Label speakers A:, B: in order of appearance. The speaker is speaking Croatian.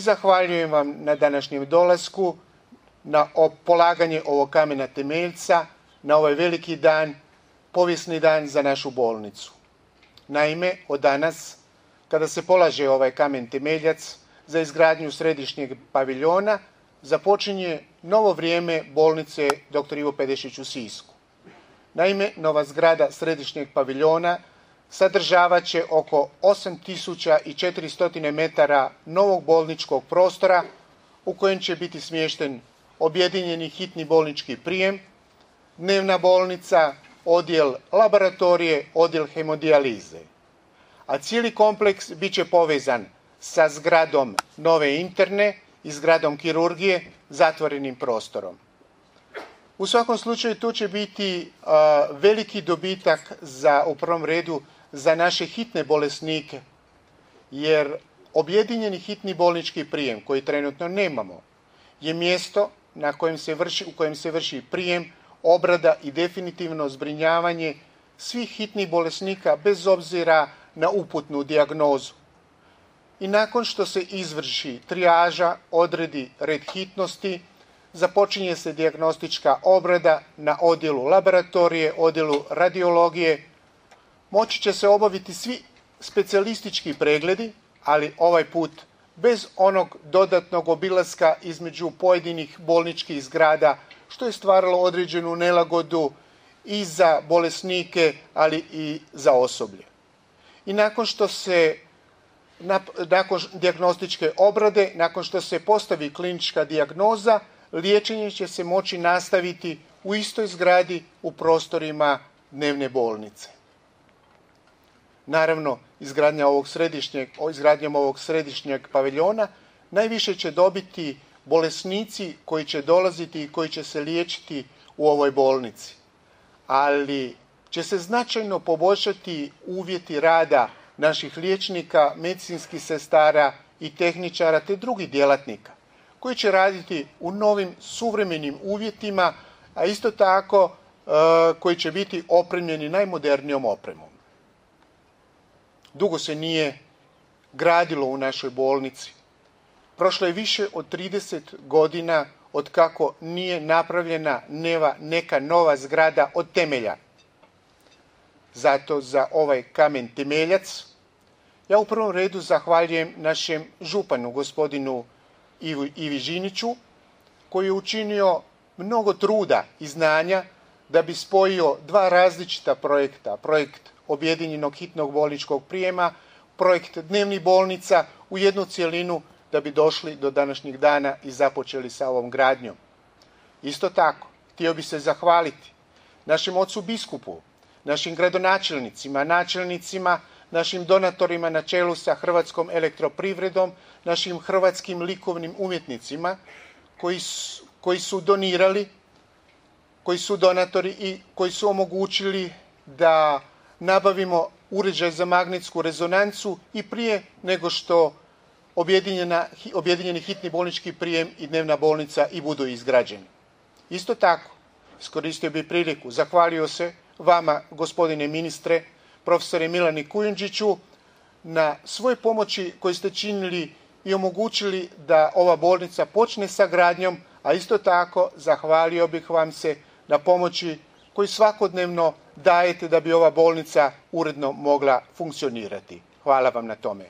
A: Zahvaljujem vam na današnjem dolasku, na polaganje ovog kamena temeljca, na ovaj veliki dan, povijesni dan za našu bolnicu. Naime, od danas, kada se polaže ovaj kamen temeljac za izgradnju središnjeg paviljona, započinje novo vrijeme bolnice dr. Ivo Pedešić u Sisku. Naime, nova zgrada središnjeg paviljona sadržavat će oko 8400 metara novog bolničkog prostora u kojem će biti smješten objedinjeni hitni bolnički prijem, dnevna bolnica, odjel laboratorije, odjel hemodijalize. A cijeli kompleks bit će povezan sa zgradom nove interne i zgradom kirurgije, zatvorenim prostorom. U svakom slučaju tu će biti veliki dobitak u prvom redu za naše hitne bolesnike, jer objedinjeni hitni bolnički prijem, koji trenutno nemamo, je mjesto u kojem se vrši prijem, obrada i definitivno zbrinjavanje svih hitnih bolesnika bez obzira na uputnu dijagnozu. I nakon što se izvrši trijaža, odredi red hitnosti, započinje se dijagnostička obrada na odjelu laboratorije, odjelu radiologije. Moći će se obaviti svi specijalistički pregledi, ali ovaj put bez onog dodatnog obilaska između pojedinih bolničkih zgrada, što je stvaralo određenu nelagodu i za bolesnike, ali i za osoblje. I nakon dijagnostičke obrade, nakon što se postavi klinička dijagnoza, liječenje će se moći nastaviti u istoj zgradi u prostorima dnevne bolnice. Naravno, izgradnjom ovog središnjeg paviljona najviše će dobiti bolesnici koji će dolaziti i koji će se liječiti u ovoj bolnici. Ali će se značajno poboljšati uvjeti rada naših liječnika, medicinskih sestara i tehničara te drugih djelatnika koji će raditi u novim suvremenim uvjetima, a isto tako koji će biti opremljeni najmodernijom opremom. Dugo se nije gradilo u našoj bolnici. Prošlo je više od 30 godina od kako nije napravljena neka nova zgrada od temelja. Zato za ovaj kamen temeljac ja u prvom redu zahvaljujem našem županu, gospodinu Ivi Žiniću, koji je učinio mnogo truda i znanja da bi spojio dva različita projekta. Projekt objedinjenog hitnog bolničkog prijema, projekt dnevnih bolnica u jednu cjelinu da bi došli do današnjeg dana i započeli sa ovom gradnjom. Isto tako, htio bi se zahvaliti našem ocu biskupu, našim gradonačelnicima, načelnicima, našim donatorima na čelu sa Hrvatskom elektroprivredom, našim hrvatskim likovnim umjetnicima koji su donirali, koji su donatori i koji su omogućili da nabavimo uređaj za magnetsku rezonancu i prije nego što objedinjeni hitni bolnički prijem i dnevna bolnica i budu izgrađeni. Isto tako, iskoristio bih priliku, zahvalio se vama, gospodine ministre, profesore Milani Kujundžiću, na svoj pomoći koju ste činili i omogućili da ova bolnica počne sa gradnjom, a isto tako zahvalio bih vam se na pomoći koju svakodnevno dajete da bi ova bolnica uredno mogla funkcionirati. Hvala vam na tome.